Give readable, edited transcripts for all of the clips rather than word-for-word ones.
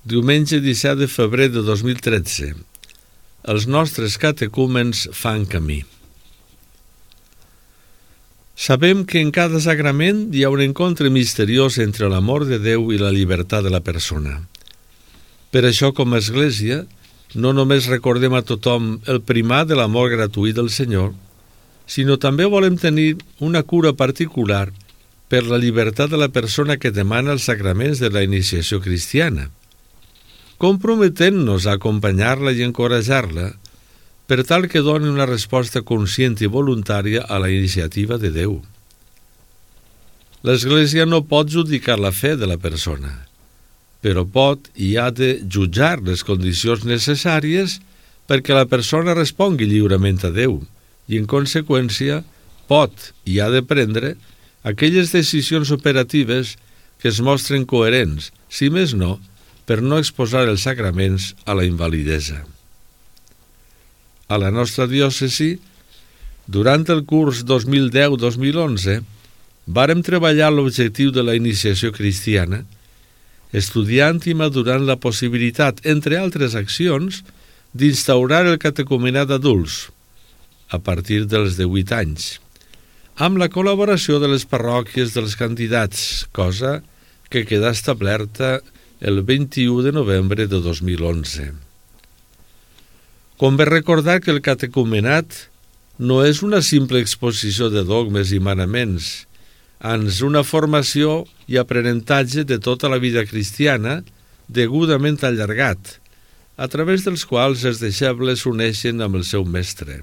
Diumenge 17 de febrer de 2013. Els nostres catecúmens fan camí. Sabem que en cada sagrament hi ha un encontre misteriós entre l'amor de Déu i la llibertat de la persona. Per això, com a Església, no només recordem a tothom el primat de l'amor gratuït del Senyor, sinó també volem tenir una cura particular per la llibertat de la persona que demana els sacraments de la iniciació cristiana, comprometent-nos a acompanyar-la i encorajar-la per tal que doni una resposta conscient i voluntària a la iniciativa de Déu. L'Església no pot judicar la fe de la persona, però pot i ha de jutjar les condicions necessàries perquè la persona respongui lliurement a Déu i, en conseqüència, pot i ha de prendre aquelles decisions operatives que es mostren coherents, si més no, per no exposar els sacraments a la invalidesa. A la nostra diòcesi, durant el curs 2010-2011, vàrem treballar l'objectiu de la iniciació cristiana, estudiant i madurant la possibilitat, entre altres accions, d'instaurar el catecumenat d'adults, a partir dels 18 anys, amb la col·laboració de les parròquies dels candidats, cosa que queda establerta el 21 de novembre de 2011. Convé recordar que el catecumenat no és una simple exposició de dogmes i manaments, ans una formació i aprenentatge de tota la vida cristiana degudament allargat, a través dels quals els deixebles s'uneixen amb el seu mestre.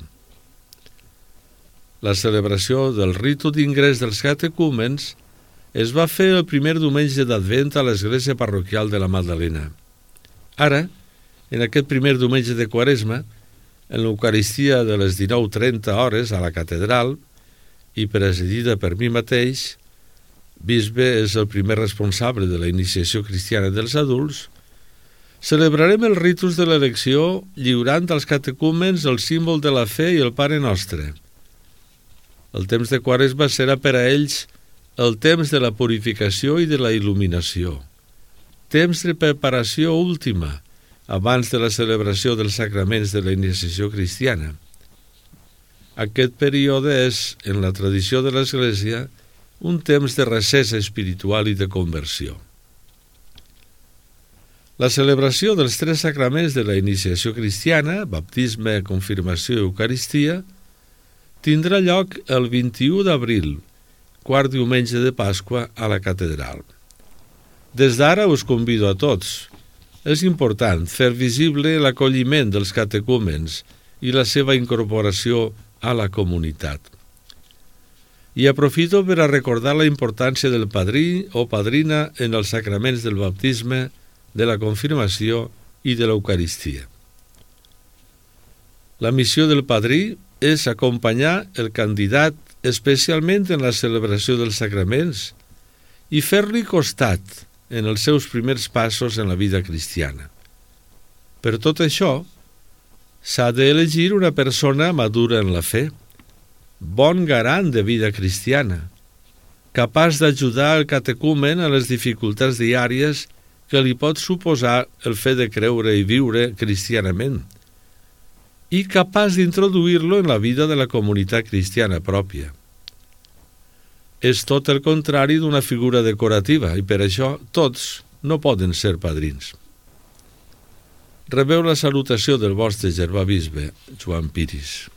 La celebració del ritu d'ingrés dels catecúmens es va fer el primer diumenge d'Advent a l'església parroquial de la Magdalena. Ara, en aquest primer diumenge de Quaresma, en l'Eucaristia de les 19:30 hores a la catedral, i presidida per mi mateix, bisbe és el primer responsable de la iniciació cristiana dels adults, celebrarem els ritus de l'elecció lliurant als catecúmens el símbol de la fe i el Pare Nostre. El temps de Quaresma serà per a ells el temps de la purificació i de la il·luminació, temps de preparació última, abans de la celebració dels sacraments de la iniciació cristiana. Aquest període és, en la tradició de l'Església, un temps de recés espiritual i de conversió. La celebració dels 3 sacraments de la iniciació cristiana, baptisme, confirmació i Eucaristia, tindrà lloc el 21 d'abril, quart diumenge de Pasqua, a la catedral. Des d'ara us convido a tots. És important fer visible l'acolliment dels catecúmens i la seva incorporació a la comunitat. I aprofito per a recordar la importància del padrí o padrina en els sacraments del baptisme, de la confirmació i de l'Eucaristia. La missió del padrí és acompanyar el candidat especialment en la celebració dels sacraments i fer-li costat en els seus primers passos en la vida cristiana. Per tot això, s'ha d'elegir una persona madura en la fe, bon garant de vida cristiana, capaç d'ajudar el catecúmen a les dificultats diàries que li pot suposar el fet de creure i viure cristianament, i capaç d'introduir-lo en la vida de la comunitat cristiana pròpia. És tot el contrari d'una figura decorativa i per això tots no poden ser padrins. Rebeu la salutació del vostre germà bisbe, Joan Piris.